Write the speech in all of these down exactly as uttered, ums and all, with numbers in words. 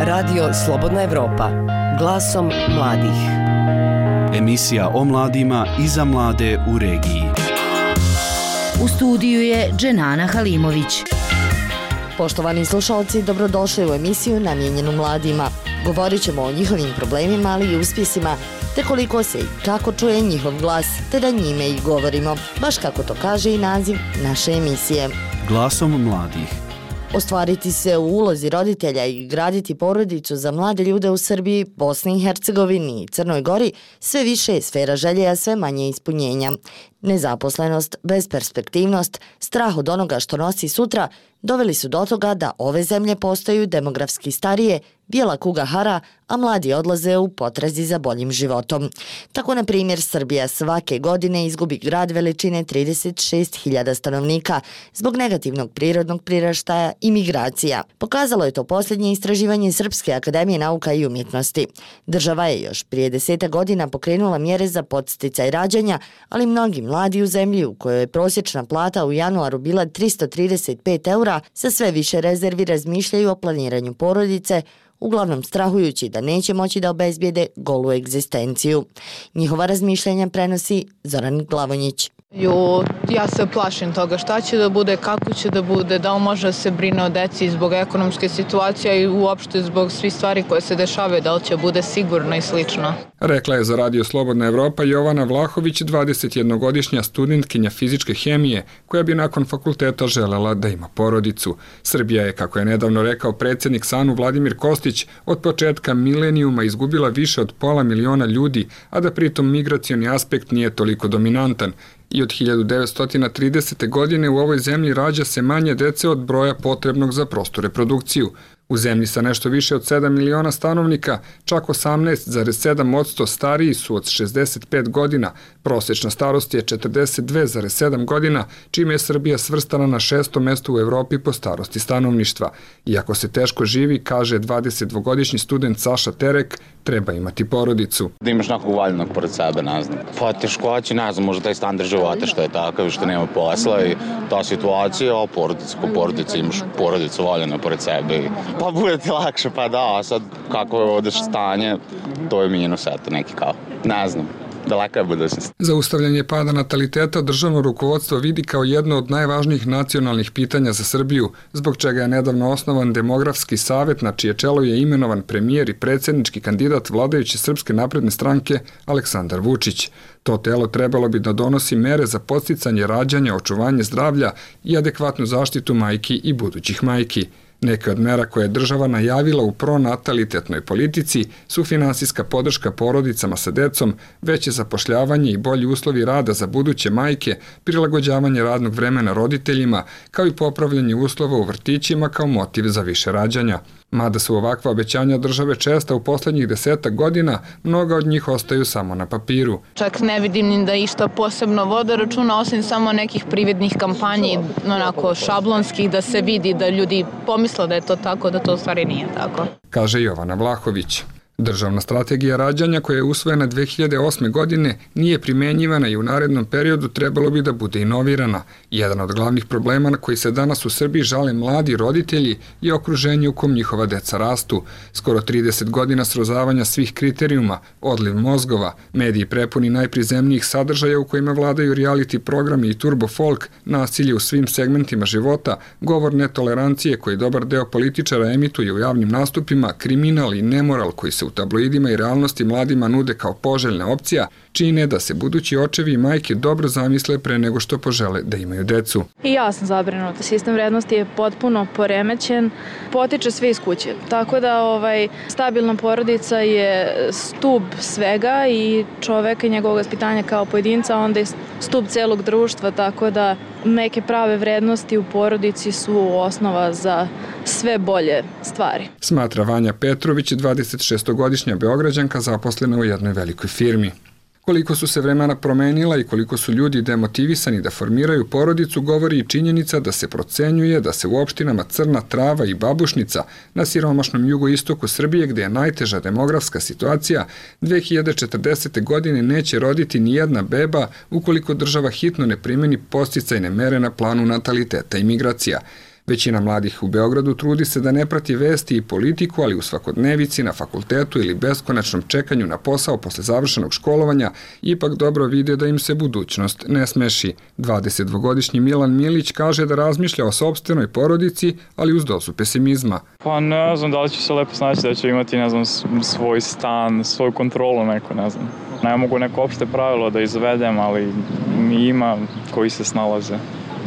Radio Slobodna Evropa, glasom mladih. Emisija o mladima i za mlade u regiji. U studiju je Dženana Halimović. Poštovani slušalci, dobrodošli u emisiju namijenjenu mladima. Govorit ćemo o njihovim problemima, ali i uspjesima, te koliko se i kako čuje njihov glas, te da njime i govorimo, baš kako to kaže i naziv naše emisije. Glasom mladih. Ostvariti se u ulozi roditelja i graditi porodicu za mlade ljude u Srbiji, Bosni i Hercegovini i Crnoj Gori sve više je sfera želje, a sve manje ispunjenja. Nezaposlenost, besperspektivnost, strah od onoga što nosi sutra doveli su do toga da ove zemlje postaju demografski starije, bijela kuga hara, a mladi odlaze u potrazi za boljim životom. Tako, na primjer, Srbija svake godine izgubi grad veličine trideset šest hiljada stanovnika zbog negativnog prirodnog priraštaja i migracija. Pokazalo je to posljednje istraživanje Srpske akademije nauka i umjetnosti. Država je još prije deseta godina pokrenula mjere za podsticaj rađanja, ali mnogi mladi u zemlji u kojoj je prosječna plata u januaru bila tristo trideset pet eura, sa sve više rezervi razmišljaju o planiranju porodice, uglavnom strahujući da neće moći da obezbijede golu egzistenciju. Njihova razmišljanja prenosi Zoran Glavonjić. Jo, ja se plašim toga šta će da bude, kako će da bude, da li može da se brine o deci zbog ekonomske situacije i uopšte zbog svih stvari koje se dešavaju, da li će bude sigurno i slično. Rekla je za Radio Slobodna Evropa Jovana Vlahović, dvadesetjednogodišnja studentkinja fizičke hemije, koja bi nakon fakulteta želela da ima porodicu. Srbija je, kako je nedavno rekao predsjednik SANU Vladimir Kostić, od početka milenijuma izgubila više od pola miliona ljudi, a da pritom migracioni aspekt nije toliko dominantan. I od hiljadu devetsto tridesete. godine u ovoj zemlji rađa se manje dece od broja potrebnog za prostu reprodukciju. U zemlji sa nešto više od sedam miliona stanovnika, čak osamnaest zarez sedam posto stariji su od šezdeset pet godina, prosječna starost je četrdeset dve zarez sedam godina, čime je Srbija svrstana na šesto mesto u Evropi po starosti stanovništva. Iako se teško živi, kaže dvadesetdvogodišnji student Saša Terek, treba imati porodicu. Da imaš nekog valjenog pored sebe, ne znam. Pa teškoći, ne znam, možda taj standard života što je takav, što nema posla i ta situacija, a porodica ko porodica, imaš porodicu valjeno pored sebe. Pa bude ti lakše, pa da, a sad kako je ovdje stanje, to je minus, eto, neki kao, ne znam. Daleka je budućnost. Zaustavljanje pada nataliteta državno rukovodstvo vidi kao jedno od najvažnijih nacionalnih pitanja za Srbiju, zbog čega je nedavno osnovan demografski savjet na čije čelo je imenovan premijer i predsjednički kandidat vladajuće Srpske napredne stranke Aleksandar Vučić. To telo trebalo bi da donosi mere za podsticanje rađanja, očuvanje zdravlja i adekvatnu zaštitu majki i budućih majki. Neke od mera koje je država najavila u pronatalitetnoj politici su finansijska podrška porodicama sa decom, veće zapošljavanje i bolji uslovi rada za buduće majke, prilagođavanje radnog vremena roditeljima, kao i popravljanje uslova u vrtićima kao motiv za više rađanja. Mada su ovakva obećanja države česta u posljednjih desetak godina, mnoga od njih ostaju samo na papiru. Čak ne vidim ni da išta posebno vode računa, osim samo nekih prividnih kampanji, onako šablonskih, da se vidi da ljudi pomisle da je to tako, da to u stvari nije tako. Kaže Jovana Vlahović. Državna strategija rađanja koja je usvojena dve hiljade osme. godine nije primenjivana i u narednom periodu trebalo bi da bude inovirana. Jedan od glavnih problema na koji se danas u Srbiji žale mladi roditelji je okruženje u kom njihova deca rastu. Skoro trideset godina srozavanja svih kriterijuma, odliv mozgova, mediji prepuni najprizemnijih sadržaja u kojima vladaju reality programi i turbo folk, nasilje u svim segmentima života, govor netolerancije koji dobar deo političara emituje u javnim nastupima, kriminal i nemoral koji se u tabloidima i realnosti mladima nude kao poželjna opcija, čine da se budući očevi i majke dobro zamisle pre nego što požele da imaju decu. I ja sam zabrinuta. Sistem vrednosti je potpuno poremećen, potiče sve iz kuće. Tako da ovaj, stabilna porodica je stub svega i čoveka i njegovog vaspitanja kao pojedinca, onda je stub celog društva, tako da neke prave vrednosti u porodici su osnova za sve bolje stvari. Smatra Vanja Petrović, dvadesetšestogodišnja Beograđanka zaposlena u jednoj velikoj firmi. Koliko su se vremena promenila i koliko su ljudi demotivisani da formiraju porodicu, govori i činjenica da se procenjuje da se u opštinama Crna Trava i Babušnica na siromašnom jugoistoku Srbije, gde je najteža demografska situacija, dve hiljade četrdesete. godine neće roditi ni jedna beba ukoliko država hitno ne primeni podsticajne mere na planu nataliteta i migracija. Većina mladih u Beogradu trudi se da ne prati vesti i politiku, ali u svakodnevici, na fakultetu ili beskonačnom čekanju na posao posle završenog školovanja ipak dobro vide da im se budućnost ne smeši. dvadesetdvogodišnji Milan Milić kaže da razmišlja o sopstvenoj porodici, ali uz dozu pesimizma. Pa ne znam da li ću se lepo snaći, da ću imati, ne znam, svoj stan, svoju kontrolu neko, ne znam. Ne mogu neko opšte pravilo da izvedem, ali ima koji se snalaze,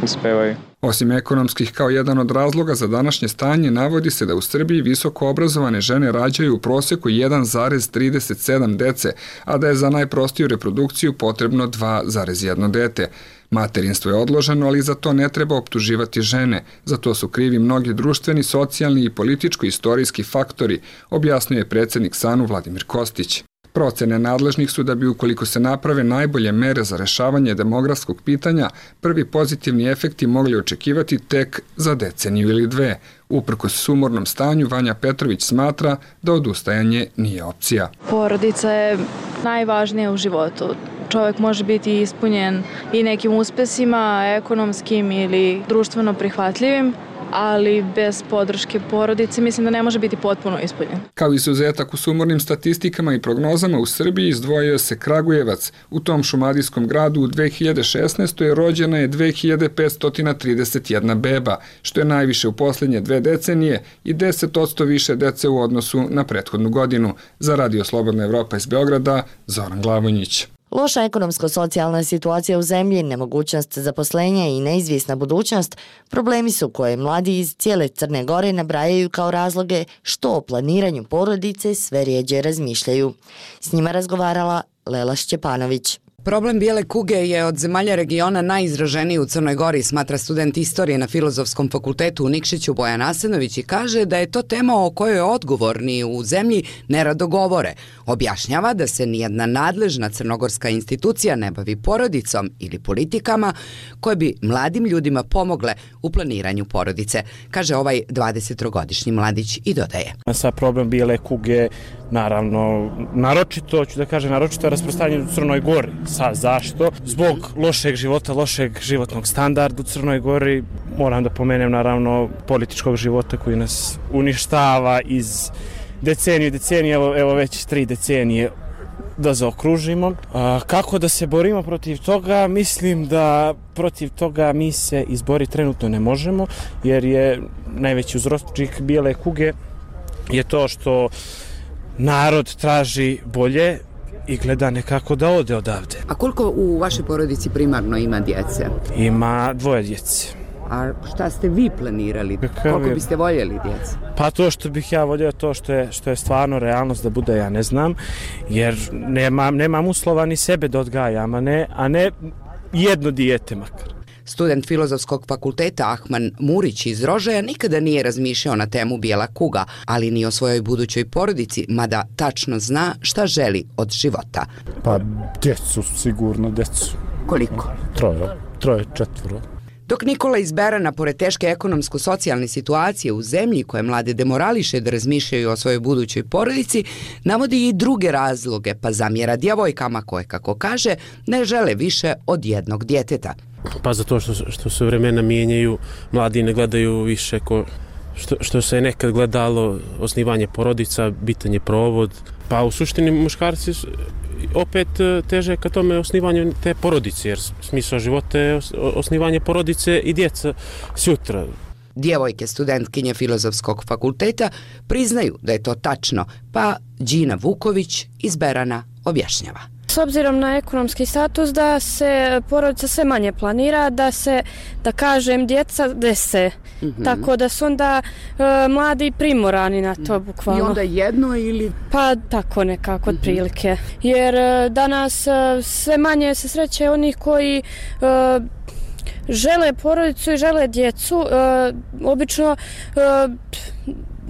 uspevaju. Osim ekonomskih kao jedan od razloga za današnje stanje, navodi se da u Srbiji visoko obrazovane žene rađaju u proseku jedan zarez trideset sedam dece, a da je za najprostiju reprodukciju potrebno dva zarez jedno dete. Materinstvo je odloženo, ali za to ne treba optuživati žene. Za to su krivi mnogi društveni, socijalni i političko-istorijski faktori, objasnio je predsjednik S A N U Vladimir Kostić. Procene nadležnih su da bi, ukoliko se naprave najbolje mere za rešavanje demografskog pitanja, prvi pozitivni efekti mogli očekivati tek za deceniju ili dve. Uprkos sumornom stanju, Vanja Petrović smatra da odustajanje nije opcija. Porodica je najvažnija u životu. Čovjek može biti ispunjen i nekim uspesima, ekonomskim ili društveno prihvatljivim, ali bez podrške porodice mislim da ne može biti potpuno ispunjen. Kao izuzetak u sumornim statistikama i prognozama u Srbiji izdvojio se Kragujevac. U tom šumadijskom gradu u dve hiljade šesnaestoj rođena je dve hiljade petsto trideset jedna beba, što je najviše u posljednje dve decenije i deset posto više dece u odnosu na prethodnu godinu. Za Radio Slobodna Evropa iz Beograda, Zoran Glavonjić. Loša ekonomsko-socijalna situacija u zemlji, nemogućnost zaposlenja i neizvjesna budućnost problemi su koje mladi iz cijele Crne Gore nabrajaju kao razloge što o planiranju porodice sve rijeđe razmišljaju. S njima razgovarala Lela Šćepanović. Problem bijele kuge je od zemalja regiona najizraženiji u Crnoj Gori, smatra student istorije na Filozofskom fakultetu u Nikšiću Bojan Asenović i kaže da je to tema o kojoj odgovorni u zemlji nerado govore. Objašnjava da se nijedna nadležna crnogorska institucija ne bavi porodicom ili politikama koje bi mladim ljudima pomogle u planiranju porodice, kaže ovaj dvadesettrogodišnji mladić i dodaje. Sa problem bijele kuge, naravno, naročito, ću da kažem, naročito je rasprostranjeno u Crnoj Gori. Sa, zašto? Zbog lošeg života, lošeg životnog standarda u Crnoj Gori, moram da pomenem naravno političkog života koji nas uništava iz deceniju i decenije, evo, evo već tri decenije da zaokružimo. A, kako da se borimo protiv toga? Mislim da protiv toga mi se izboriti trenutno ne možemo, jer je najveći uzročnik bijele kuge je to što narod traži bolje i gleda nekako da ode odavde. A koliko u vašoj porodici primarno ima djece? Ima dvoje djece. A šta ste vi planirali? Kakav koliko je? biste voljeli djece? Pa to što bih ja voljeo, to što je, što je stvarno realnost da bude, ja ne znam, jer nemam, nemam uslova ni sebe da odgajam, a ne, a ne jedno dijete makar. Student Filozofskog fakulteta Ahman Murić iz Rožaja nikada nije razmišljao na temu bijela kuga, ali ni o svojoj budućoj porodici, mada tačno zna šta želi od života. Pa djecu, sigurno djecu. Koliko? Troje, troje, četvoro. Dok Nikola iz Berana, pored teške ekonomsko-socijalne situacije u zemlji koje mlade demorališe da razmišljaju o svojoj budućoj porodici, navodi i druge razloge, pa zamjera djevojkama koje, kako kaže, ne žele više od jednog djeteta. Pa zato što, što se vremena mijenjaju, mladi ne gledaju više ko, što, što se nekad gledalo osnivanje porodica, bitanje provod. Pa u suštini muškarci opet teže ka tome osnivanju te porodice, jer smisao života je osnivanje porodice i djeca sutra. Djevojke studentkinje Filozofskog fakulteta priznaju da je to tačno, pa Đina Vuković iz Berana objašnjava. S obzirom na ekonomski status da se porodica sve manje planira, da se, da kažem, djeca dese. Mm-hmm. Tako da su onda e, mladi primorani na to bukvalno. I onda jedno ili? Pa tako nekako, mm-hmm. otprilike. Jer e, danas e, sve manje se sreće onih koji e, žele porodicu i žele djecu. E, obično e,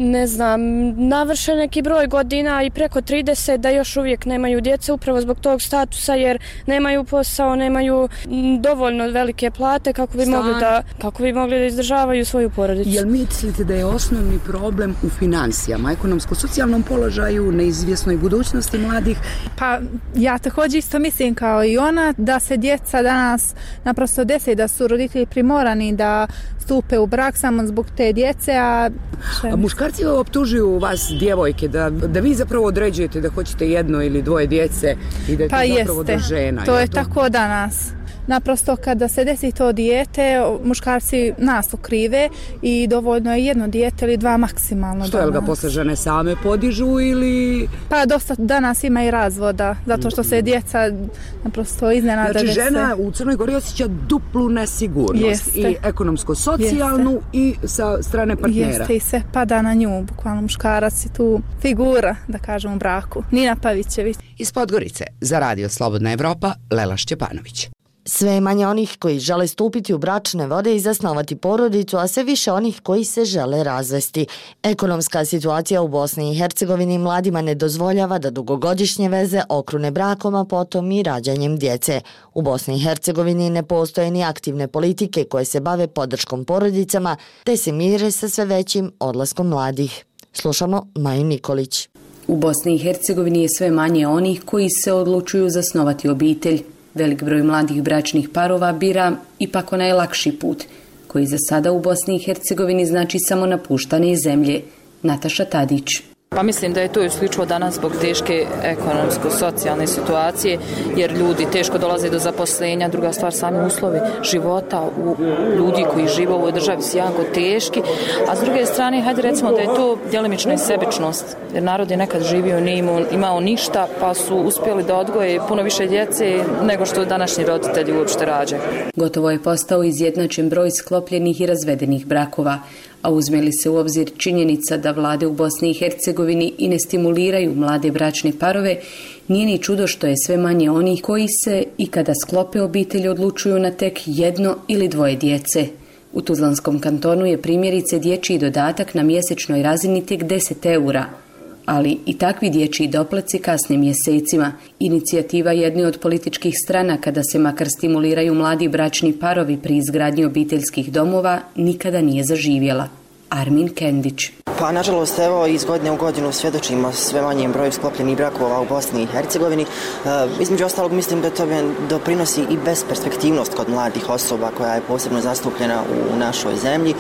ne znam, navrše neki broj godina i preko trideset da još uvijek nemaju djece upravo zbog tog statusa jer nemaju posao, nemaju dovoljno velike plate kako bi, mogli da, kako bi mogli da izdržavaju svoju porodicu. Jel mislite da je osnovni problem u financijama, ekonomsko-socijalnom položaju, neizvjesnoj budućnosti mladih? Pa ja također isto mislim kao i ona da se djeca danas naprosto desi da su roditelji primorani da stupe u brak samo zbog te djece, a... a muškarci optužuju vas, djevojke, da, da vi zapravo određujete da hoćete jedno ili dvoje djece i da je pa to zapravo jeste. do žena. To je to... tako danas. Naprosto kada se desi to dijete, muškarci nas okrive i dovoljno je jedno dijete ili dva maksimalno. Što, jel ga posle žene same podižu ili... Pa dosta danas ima i razvoda, zato što se djeca naprosto iznenada. Znači žena u Crnoj Gori osjeća duplu nesigurnost. Jeste. I ekonomsko-socijalnu Jeste. I sa strane partnera. Jeste i sve pada na nju, bukvalno muškarac je tu figura, da kažem, u braku. Nina Pavićević. Iz Podgorice, za Radio Slobodna Evropa, Lela Šćepanović. Sve je manje onih koji žele stupiti u bračne vode i zasnovati porodicu, a sve više onih koji se žele razvesti. Ekonomska situacija u Bosni i Hercegovini mladima ne dozvoljava da dugogodišnje veze okrune brakom, a potom i rađanjem djece. U Bosni i Hercegovini ne postoje ni aktivne politike koje se bave podrškom porodicama, te se mire sa sve većim odlaskom mladih. Slušamo Maju Nikolić. U Bosni i Hercegovini je sve manje onih koji se odlučuju zasnovati obitelj. Velik broj mladih bračnih parova bira ipak onaj lakši put, koji za sada u Bosni i Hercegovini znači samo napuštanje zemlje. Nataša Tadić. Pa mislim da je to isključivo danas zbog teške ekonomsko-socijalne situacije, jer ljudi teško dolaze do zaposlenja, druga stvar sami uslovi života u ljudi koji žive u ovoj državi su jako teški, a s druge strane, hajde recimo da je to djelimična i sebičnost, jer narod je nekad živio, nije imao, imao ništa, pa su uspjeli da odgoje puno više djece nego što današnji roditelji uopšte rađaju. Gotovo je postao izjednačen broj sklopljenih i razvedenih brakova, a uzme li se u obzir činjenica da vlade u Bosni i Hercegovini i ne stimuliraju mlade bračne parove, nije ni čudo što je sve manje onih koji se i kada sklope obitelj odlučuju na tek jedno ili dvoje djece. U Tuzlanskom kantonu je primjerice dječji dodatak na mjesečnoj razini tek deset eura, ali i takvi dječji doplaci kasnim mjesecima. Inicijativa jedne od političkih stranaka da se makar stimuliraju mladi bračni parovi pri izgradnji obiteljskih domova nikada nije zaživjela. Armin Kendić. Pa nažalost evo iz godine u godinu svjedočimo sve manjem broju sklopljenih brakova u Bosni i Hercegovini. E, između ostalog mislim da to doprinosi i besperspektivnost kod mladih osoba koja je posebno zastupljena u, u našoj zemlji. E,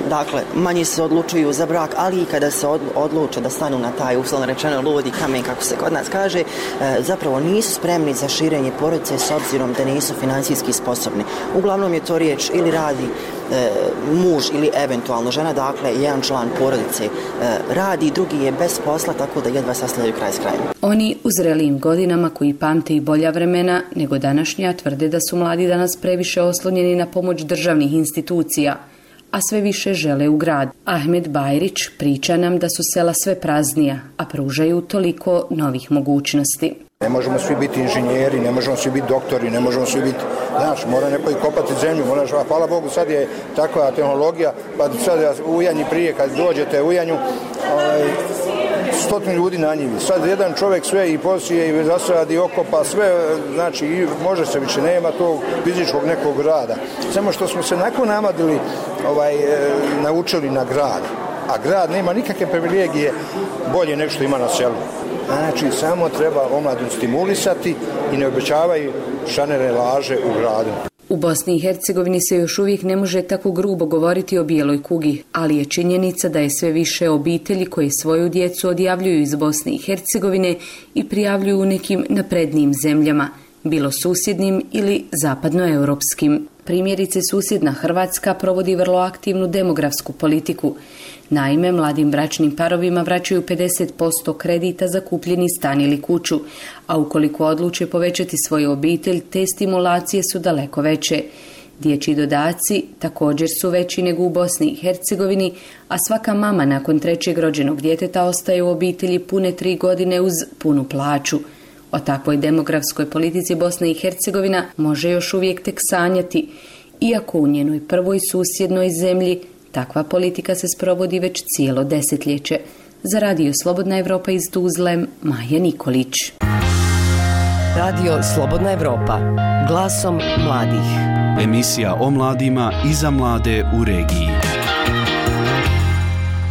dakle, manje se odlučuju za brak, ali i kada se od, odluče da stanu na taj uslovno rečeno ludi kamen, kako se kod nas kaže, e, zapravo nisu spremni za širenje porodice s obzirom da nisu financijski sposobni. Uglavnom je to riječ ili radi e, muž ili eventualno žena, dakle jedan član porodice e, radi, drugi je bez posla, tako da jedva sastavljaju kraj s krajem. Oni u zrelijim godinama koji pamte i bolja vremena nego današnja tvrde da su mladi danas previše oslonjeni na pomoć državnih institucija, a sve više žele u grad. Ahmed Bajrić priča nam da su sela sve praznija, a pružaju toliko novih mogućnosti. Ne možemo svi biti inženjeri, ne možemo svi biti doktori, ne možemo svi biti, znaš, mora neko i kopati zemlju, moraš, a hvala Bogu, sad je takva tehnologija, pa sad u Ujanji prije, kad dođete u Ujanju, ovaj, stotinu ljudi na njivi. Sad jedan čovjek sve i posije i zasadi, okopa, sve, znači, i može se više, nema tog fizičkog nekog rada. Samo što smo se nakon namadili, ovaj, naučili na grad, a grad nema nikakve privilegije bolje nego što ima na selu. Znači, samo treba omladinu stimulisati i ne obećavaju šanere laže u gradu. U Bosni i Hercegovini se još uvijek ne može tako grubo govoriti o bijeloj kugi, ali je činjenica da je sve više obitelji koje svoju djecu odjavljuju iz Bosne i Hercegovine i prijavljuju u nekim naprednijim zemljama, bilo susjednim ili zapadnoeuropskim. Primjerice, susjedna Hrvatska provodi vrlo aktivnu demografsku politiku. Naime, mladim bračnim parovima vraćaju pedeset posto kredita za kupljeni stan ili kuću, a ukoliko odluče povećati svoju obitelj, te stimulacije su daleko veće. Dječji dodaci također su veći nego u Bosni i Hercegovini, a svaka mama nakon trećeg rođenog djeteta ostaje u obitelji pune tri godine uz punu plaću. O takvoj demografskoj politici Bosna i Hercegovina može još uvijek tek sanjati, iako u njenoj prvoj susjednoj zemlji Takva politika se sprovodi već cijelo desetljeće. Za Radio Slobodna Evropa iz Tuzle, Maja Nikolić. Radio Slobodna Evropa, glasom mladih. Emisija o mladima i za mlade u regiji.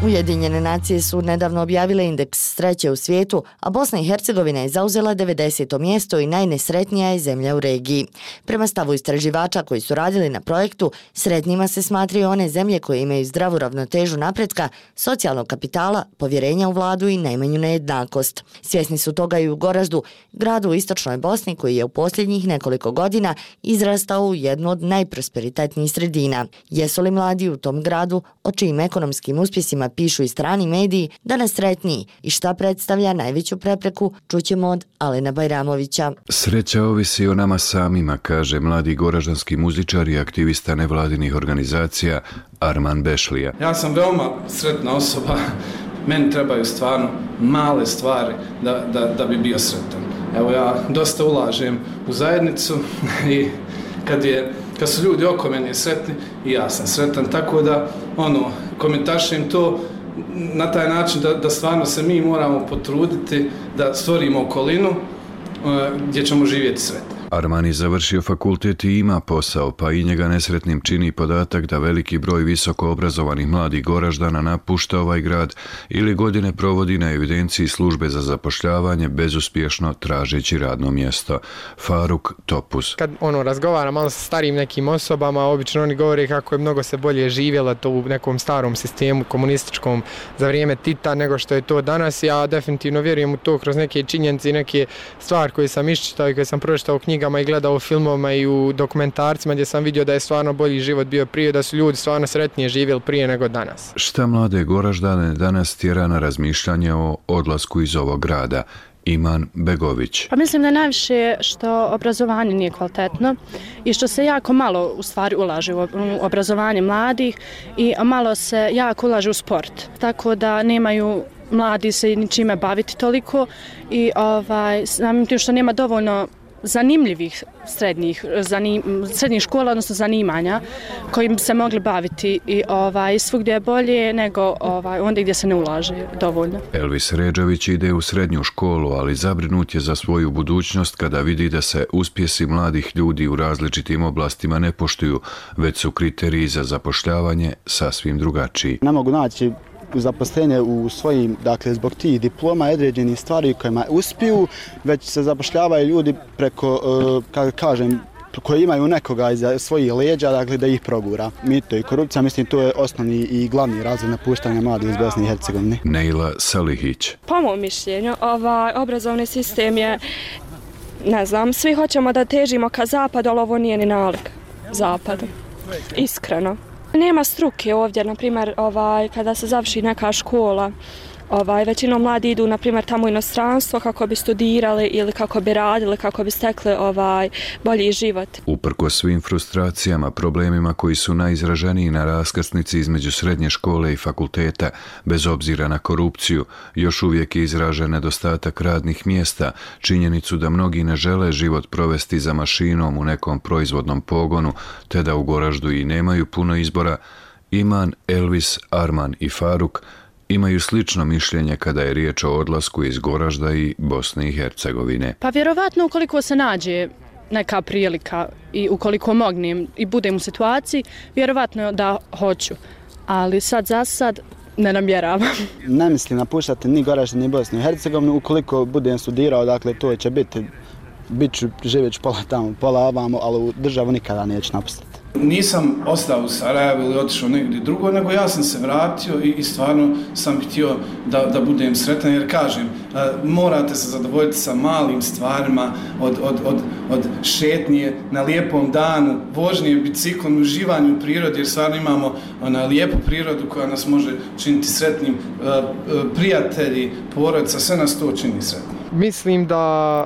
Ujedinjene nacije su nedavno objavile indeks sreće u svijetu, a Bosna i Hercegovina je zauzela devedeseto mjesto i najnesretnija je zemlja u regiji. Prema stavu istraživača koji su radili na projektu, sretnima se smatraju one zemlje koje imaju zdravu ravnotežu napretka, socijalnog kapitala, povjerenja u vladu i najmanju nejednakost. Svjesni su toga i u Goraždu, gradu u istočnoj Bosni koji je u posljednjih nekoliko godina izrastao u jednu od najprosperitetnijih sredina. Jesu li mladi u tom gradu, o čijim ekonomskim uspjesima pišu i strani mediji, danas sretniji i šta predstavlja najveću prepreku, čućemo od Alena Bajramovića. Sreća ovisi o nama samima, kaže mladi goraždanski muzičar i aktivista nevladinih organizacija Arman Bešlija. Ja sam veoma sretna osoba, meni trebaju stvarno male stvari da, da, da bi bio sretan. Evo ja dosta ulažem u zajednicu i kad je Kad su ljudi oko mene sretni i ja sam sretan, tako da ono, komentaršem to na taj način da, da stvarno se mi moramo potruditi da stvorimo okolinu uh, gdje ćemo živjeti sretni. Arman je završio fakultet i ima posao, pa i njega nesretnim čini podatak da veliki broj visoko obrazovanih mladih Goraždana napušta ovaj grad ili godine provodi na evidenciji službe za zapošljavanje bezuspješno tražeći radno mjesto. Faruk Topuz. Kad ono razgovara malo sa starijim nekim osobama, obično oni govore kako je mnogo se bolje živjelo to u nekom starom sistemu komunističkom za vrijeme Tita nego što je to danas. Ja definitivno vjerujem u to kroz neke činjenice i neke stvari koje sam iščitao i koje sam pročitao u knjigama i gledao u filmovima i u dokumentarcima gdje sam vidio da je stvarno bolji život bio prije, da su ljudi stvarno sretnije živjeli prije nego danas. Šta mlade Goraždane danas tjera na razmišljanje o odlasku iz ovog grada? Iman Begović. Pa mislim da je najviše što obrazovanje nije kvalitetno i što se jako malo u stvari ulaže u obrazovanje mladih i malo se jako ulaže u sport. Tako da nemaju mladi se ničime baviti toliko i ovaj, samim tim što nema dovoljno zanimljivih srednjih, zanim, srednjih škola, odnosno zanimanja kojim se mogli baviti i ovaj, svugdje je bolje nego ovaj, onda gdje se ne ulaže dovoljno. Elvis Ređavić ide u srednju školu, ali zabrinut je za svoju budućnost kada vidi da se uspjesi mladih ljudi u različitim oblastima ne poštuju, već su kriteriji za zapošljavanje sasvim drugačiji. Ne mogu naći zaposlenje u svojim, dakle, zbog tih diploma i određenih stvari kojima uspiju, već se zapošljavaju ljudi preko, kako kažem, koji imaju nekoga iza svojih leđa, dakle, da ih progura. Mito i korupcija, mislim, to je osnovni i glavni razlog napuštanja mladih iz Bosne i Hercegovine. Neila Salihić. Po mom mišljenju, ovaj obrazovni sistem je, ne znam, svi hoćemo da težimo ka zapadu, ali ovo nije ni nalik zapadu. Iskreno. Nema struke ovdje, na primjer, ovaj, kada se završi neka škola, ovaj, većinom mladi idu, na primjer, tamo u inostranstvo kako bi studirali ili kako bi radili, kako bi stekli ovaj, bolji život. Uprkos svim frustracijama, problemima koji su najizraženiji na raskrsnici između srednje škole i fakulteta, bez obzira na korupciju, još uvijek je izražen nedostatak radnih mjesta, činjenicu da mnogi ne žele život provesti za mašinom u nekom proizvodnom pogonu, te da u Goraždu i nemaju puno izbora. Iman, Elvis, Arman i Faruk imaju slično mišljenje kada je riječ o odlasku iz Goražda i Bosne i Hercegovine. Pa vjerovatno ukoliko se nađe neka prilika i ukoliko mognem i budem u situaciji, vjerovatno da hoću. Ali sad za sad ne namjeravam. Ne mislim napuštati ni Goražda ni Bosnu i Hercegovinu. Ukoliko budem studirao, dakle to će biti, bit ću živjeti pola tamo, pola ovamo, ali u državu nikada neću napustiti. Nisam ostao u Sarajevu ili otišao negdje drugo, nego ja sam se vratio i, i stvarno sam htio da, da budem sretan, jer kažem, morate se zadovoljiti sa malim stvarima, od, od, od, od šetnje na lijepom danu, vožnje biciklom, uživanju u prirodi, jer stvarno imamo ona lijepu prirodu koja nas može činiti sretnim, prijatelji, porodica, sve nas to čini sretnim. Mislim da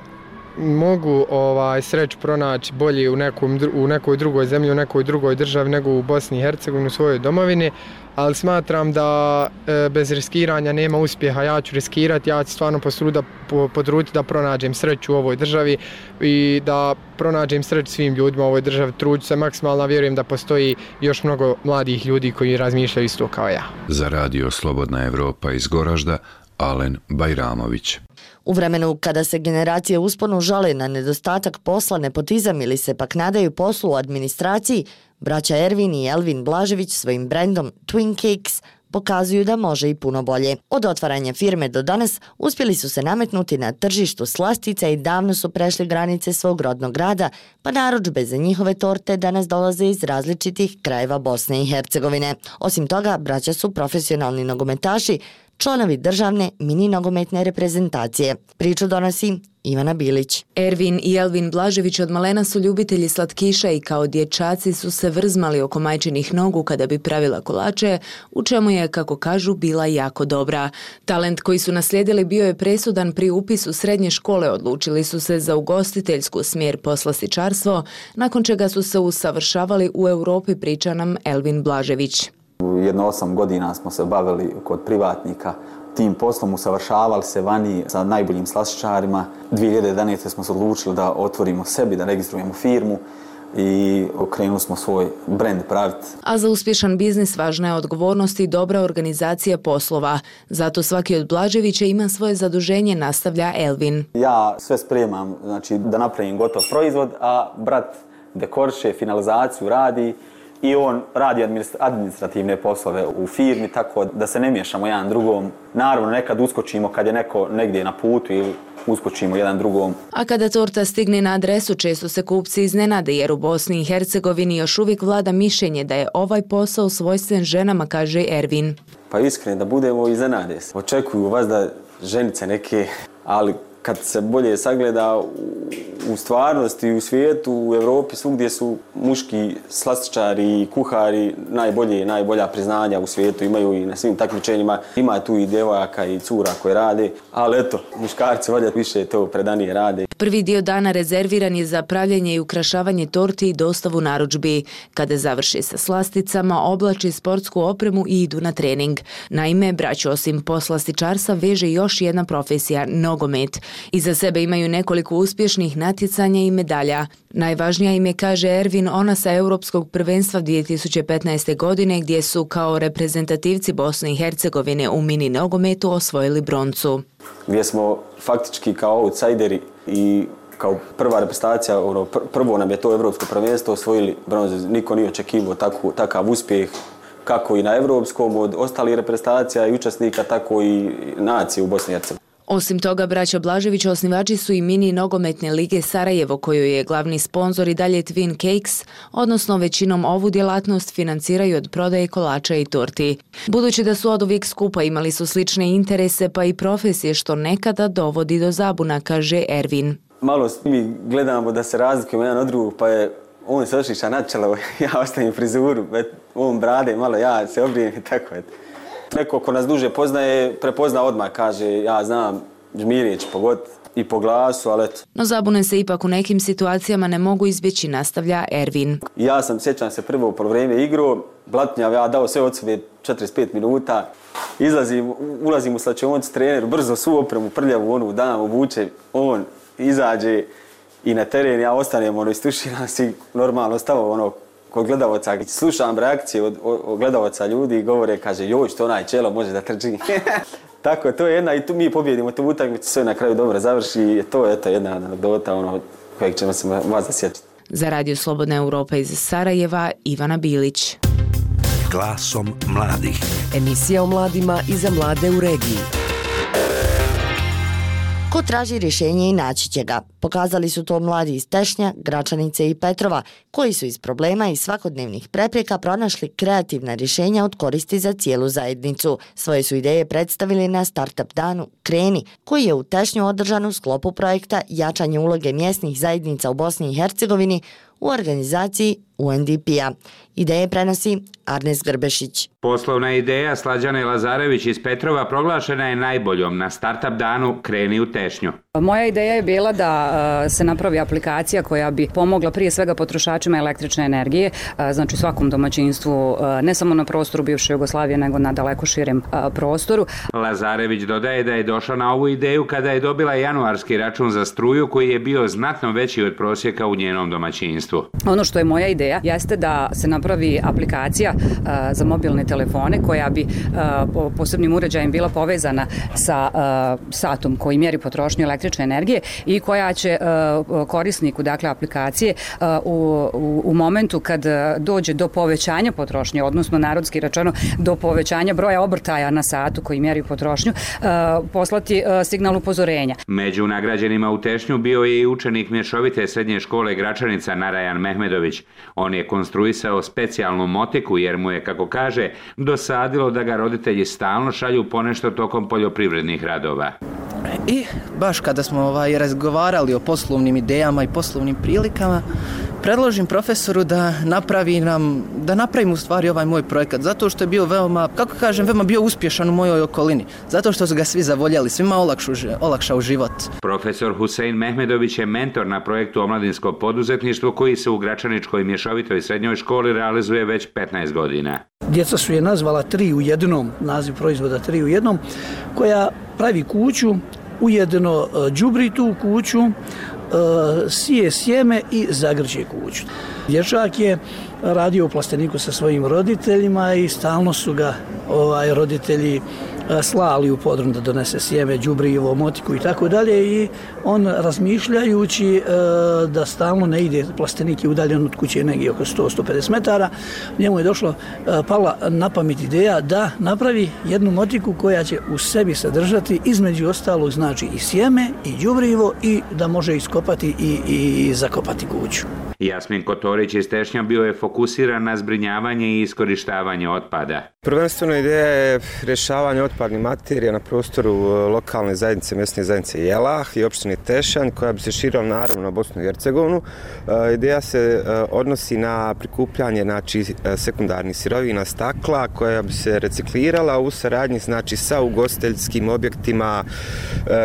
mogu ovaj, sreću pronaći bolje u, nekom, u nekoj drugoj zemlji, u nekoj drugoj državi nego u Bosni i Hercegovini, u svojoj domovini, ali smatram da e, bez riskiranja nema uspjeha. Ja ću riskirati, ja ću stvarno posruda, po, podruti da pronađem sreću u ovoj državi i da pronađem sreću svim ljudima u ovoj državi. Truđu se maksimalno, vjerujem da postoji još mnogo mladih ljudi koji razmišljaju isto kao ja. Za radio Slobodna Evropa iz Goražda, Alen Bajramović. U vremenu kada se generacije usponu žale na nedostatak posla, nepotizam ili se pak nadaju poslu u administraciji, braća Ervin i Elvin Blažević svojim brendom Twin Cakes pokazuju da može i puno bolje. Od otvaranja firme do danas uspjeli su se nametnuti na tržištu slastica i davno su prešli granice svog rodnog grada, pa narudžbe za njihove torte danas dolaze iz različitih krajeva Bosne i Hercegovine. Osim toga, braća su profesionalni nogometaši, članovi državne mini nogometne reprezentacije. Priču donosi Ivana Bilić. Ervin i Elvin Blažević od malena su ljubitelji slatkiša i kao dječaci su se vrzmali oko majčinih nogu kada bi pravila kolače, u čemu je, kako kažu, bila jako dobra. Talent koji su naslijedili bio je presudan pri upisu srednje škole, odlučili su se za ugostiteljsku smjer poslastičarstvo, nakon čega su se usavršavali u Europi, priča nam Elvin Blažević. Jedno osam godina smo se bavili kod privatnika tim poslom, usavršavali se vani sa najboljim slastičarima. dvije hiljade jedanaeste. smo se odlučili da otvorimo sebi, da registrujemo firmu i okrenuli smo svoj brend praviti. A za uspješan biznis važna je odgovornost i dobra organizacija poslova. Zato svaki od Blaževića ima svoje zaduženje, nastavlja Elvin. Ja sve spremam, znači da napravim gotov proizvod, a brat dekoriše, finalizaciju radi i on radi administrativne poslove u firmi, tako da se ne miješamo jedan drugom. Naravno, nekad uskočimo kad je neko negdje na putu ili uskočimo jedan drugom. A kada torta stigne na adresu, često se kupci iznenade jer u Bosni i Hercegovini još uvijek vlada mišljenje da je ovaj posao svojstven ženama, kaže Ervin. Pa iskreno da budemo, iznenade se. Očekuju vas da ženice neke, ali kad se bolje sagleda u stvarnosti, u svijetu, u Europi, svugdje su muški slastičari i kuhari najbolje, najbolja priznanja u svijetu imaju i na svim takmičenjima. Ima tu i djevojaka i cura koje rade, ali eto, muškarci valjda više to predanije rade. Prvi dio dana rezerviran je za pravljenje i ukrašavanje torti i dostavu narudžbi. Kada završi sa slasticama, oblači sportsku opremu i idu na trening. Naime, braću osim poslastičarstva veže još jedna profesija, nogomet. Iza sebe imaju nekoliko uspješnih natjecanja i medalja. Najvažnija im je, kaže Ervin, ona sa Europskog prvenstva dvije tisuće petnaeste. godine gdje su kao reprezentativci Bosne i Hercegovine u mini nogometu osvojili broncu. Gdje smo faktički kao outsideri i kao prva reprezentacija, ono, prvo nam je to Europsko prvenstvo osvojili bronzu. Niko nije očekivao tako, takav uspjeh kako i na Europskom od ostalih reprezentacija i učesnika, tako i nacije u Bosni i Hercegovini. Osim toga, braća Blažević osnivači su i mini nogometne lige Sarajevo, kojoj je glavni sponzor i dalje Twin Cakes, odnosno većinom ovu djelatnost financiraju od prodaje kolača i torti. Budući da su oduvijek skupa, imali su slične interese pa i profesije, što nekada dovodi do zabuna, kaže Ervin. Malo mi gledamo da se razlikujemo jedan od drugog, pa je on se ošiša na čelo, ja ostavim frizuru, on brade, malo ja se obrijem i tako je. Neko ko nas duže poznaje, prepozna odmah, kaže ja znam, Žmirje će pogoditi i po glasu, ali eto. No zabune se ipak u nekim situacijama ne mogu izbjeći, nastavlja Ervin. Ja sam, sjećam se, prvo po vrijeme igru, blatnjav, ja dao sve od sebe četrdeset pet minuta, izlazim, ulazim u slačionicu treneru, brzo svu opremu prljavu, onu dam, obuče, on izađe i na teren, ja ostanem, ono, istuširam si, normalno stavo, ono, kod gledavaca, slušam reakcije od, od gledavaca ljudi i govore, kaže, joj, što onaj čelo može da trči. Tako, to je jedna, i tu mi pobjedimo tu utakmicu, sve na kraju dobro završi i to je eto jedna anegdota, ono, kojeg ćemo se vas zasjećati. Za Radio Slobodna Evropa iz Sarajeva, Ivana Bilić. Glasom mladih. Emisija o mladima i za mlade u regiji. Ko traži rješenje i naći će ga. Pokazali su to mladi iz Tešnja, Gračanice i Petrova, koji su iz problema i svakodnevnih prepreka pronašli kreativna rješenja od koristi za cijelu zajednicu. Svoje su ideje predstavili na Startup danu Kreni, koji je u Tešnju održan u sklopu projekta Jačanje uloge mjesnih zajednica u Bosni i Hercegovini u organizaciji U N D P-a. Ideje prenosi Arnes Grbešić. Poslovna ideja Slađane Lazarević iz Petrova proglašena je najboljom na startup danu Kreni u tešnju. Moja ideja je bila da se napravi aplikacija koja bi pomogla prije svega potrošačima električne energije, znači svakom domaćinstvu, ne samo na prostoru bivše Jugoslavije, nego na daleko širem prostoru. Lazarević dodaje da je došla na ovu ideju kada je dobila januarski račun za struju koji je bio znatno veći od prosjeka u njenom domaćinstvu. Ono što je moja ideja jeste da se napravi aplikacija za mobilne telefone koja bi po posebnim uređajem bila povezana sa satom koji mjeri potrošnju električne energije i koja će korisniku, dakle aplikacije, u, u, u momentu kad dođe do povećanja potrošnje, odnosno narodski rečeno do povećanja broja obrtaja na satu koji mjeri potrošnju, poslati signal upozorenja. Među nagrađenima u tešnju bio je i učenik mješovite srednje škole Gračanica Narajan Mehmedović. On je konstruisao specijalnu motiku jer mu je, kako kaže, dosadilo da ga roditelji stalno šalju ponešto tokom poljoprivrednih radova. I baš kada smo ovaj, razgovarali o poslovnim idejama i poslovnim prilikama, predložim profesoru da napravi nam, da napravim u stvari ovaj moj projekat, zato što je bio veoma, kako kažem, veoma bio uspješan u mojoj okolini, zato što su ga svi zavoljeli, svima olakšu, olakšao život. Profesor Husein Mehmedović je mentor na projektu Omladinsko poduzetništvo koji se u Gračaničkoj mješovitoj srednjoj školi realizuje već petnaest godina. Djeca su je nazvala tri u jednom, naziv proizvoda tri u jednom, koja pravi kuću, ujedno đubri tu kuću, sije sjeme i zagrće kuću. Dječak je radio u plasteniku sa svojim roditeljima i stalno su ga ovaj, roditelji slali u podrum da donese sjeme, đubrivo, motiku i tako dalje i on razmišljajući da stalno ne ide, plastenik je udaljen od kuće negdje oko sto do sto pedeset metara, njemu je došlo, pala na pamet ideja da napravi jednu motiku koja će u sebi sadržati između ostalog znači i sjeme i đubrivo i da može iskopati i, i zakopati kuću. Jasmin Kotorić iz Tešnja bio je fokusiran na zbrinjavanje i iskorištavanje otpada. Prvenstveno ideja je rješavanje otpadnih materija na prostoru lokalne zajednice, mjesne zajednice Jelah i opštine Tešanj, koja bi se širila naravno na Bosnu i Hercegovinu. Ideja se odnosi na prikupljanje znači, sekundarnih sirovina stakla koja bi se reciklirala u saradnji znači, sa ugostiteljskim objektima,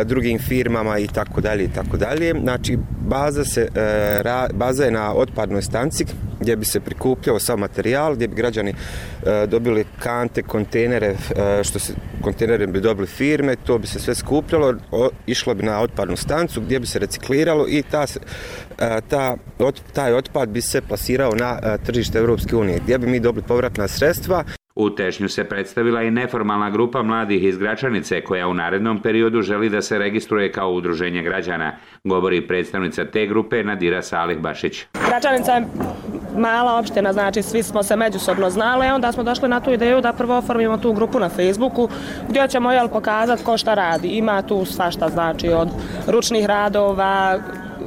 drugim firmama i tako dalje i tako dalje. Znači baza se baza je na otpadnoj stanci gdje bi se prikupljao sav materijal, gdje bi građani e, dobili kante, kontejnere, e, što se kontejnere bi dobili firme, to bi se sve skupljalo, o, išlo bi na otpadnu stancu gdje bi se recikliralo i ta, e, ta, ot, taj otpad bi se plasirao na e, tržište Europske unije, gdje bi mi dobili povratna sredstva. U Tešnju se predstavila i neformalna grupa mladih iz Gračanice koja u narednom periodu želi da se registruje kao udruženje građana, govori predstavnica te grupe Nadira Salih Bašić. Gračanica je mala opština, znači svi smo se međusobno znali, onda smo došli na tu ideju da prvo oformimo tu grupu na Facebooku gdje ćemo jel, pokazati ko šta radi. Ima tu svašta, znači od ručnih radova,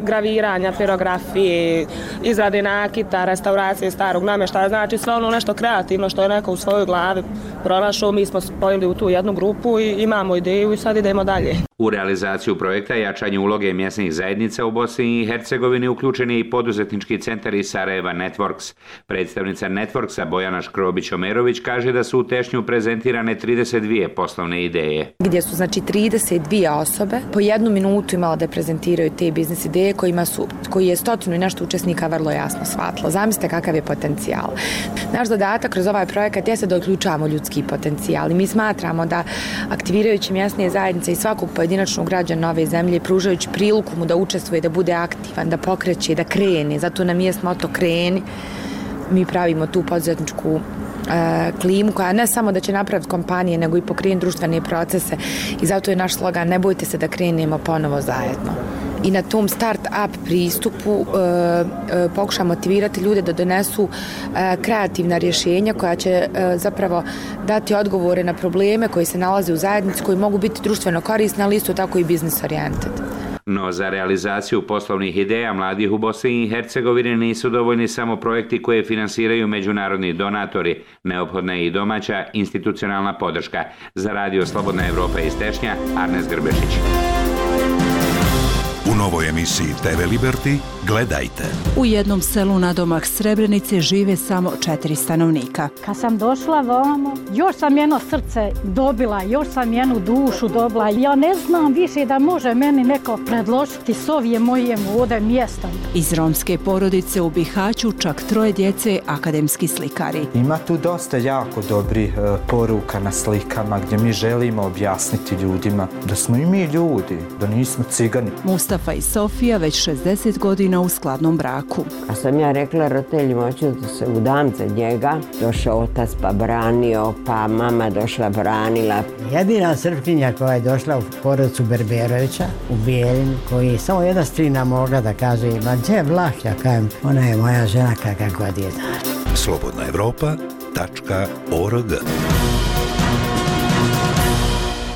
graviranja, pirografije, izrade nakita, restauracije starog namještaja, znači sve ono nešto kreativno što je neko u svojoj glavi pronašao, mi smo spojili u tu jednu grupu i imamo ideju i sad idemo dalje. U realizaciju projekta jačanje uloge mjesnih zajednica u Bosni i Hercegovini uključen je i poduzetnički centar iz Sarajeva Networks. Predstavnica Networksa Bojana Škrobić-Omerović kaže da su u Tešnju prezentirane trideset dvije poslovne ideje. Gdje su znači trideset dvije osobe po jednu minutu imala da prezentiraju te biznis ideje kojima su, koji je stotinu i nešto učesnika vrlo jasno shvatilo. Zamislite kakav je potencijal. Naš zadatak kroz ovaj projekat jeste da uključavamo ljudski potencijal i mi smatramo da aktivirajući mjesne zajednice i svakog pojedinačnog građana ove zemlje, pružajući priliku mu da učestvuje, da bude aktivan, da pokreće, da krene, zato nam je moto kreni, mi pravimo tu poduzetničku e, klimu koja ne samo da će napraviti kompanije, nego i pokrenuti društvene procese i zato je naš slogan ne bojte se da krenemo ponovo zajedno. I na tom start-up pristupu e, e, pokuša motivirati ljude da donesu e, kreativna rješenja koja će e, zapravo dati odgovore na probleme koji se nalaze u zajednici, koji mogu biti društveno korisni, ali isto tako i business oriented. No za realizaciju poslovnih ideja mladih u Bosni i Hercegovini nisu dovoljni samo projekti koje finansiraju međunarodni donatori, neophodna je i domaća institucionalna podrška. Za Radio Slobodna Evropa iz Tešnja, Arnes Grbešić. U novoj emisiji te ve Liberty gledajte. U jednom selu nadomak Srebrenice žive samo četiri stanovnika. Kad sam došla vamo, još sam jedno srce dobila, još sam jednu dušu dobila. Ja ne znam više da može meni neko predložiti s ovije moje ovdje mjesta. Iz romske porodice u Bihaću čak troje djece akademski slikari. Ima tu dosta jako dobrih e, poruka na slikama gdje mi želimo objasniti ljudima da smo i mi ljudi, da nismo cigani. Mustafa i Sofija već šezdeset godina u skladnom braku. A sam ja rekla roditeljima, hoću da se udam za njega. Došao otac pa branio, pa mama došla branila. Jedina Srpkinja koja je došla u porodicu Berberovića u Bijeljinu, koji je samo jedna strina mogla da kaže, ma gdje je Vlah, ja kajem, ona je moja žena kakva god je da. slobodna evropa tačka org.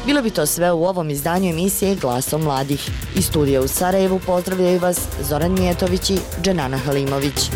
Bilo bi to sve u ovom izdanju emisije Glasom mladih. Iz studija u Sarajevu pozdravljaju vas Zoran Mijetović i Dženana Halimović.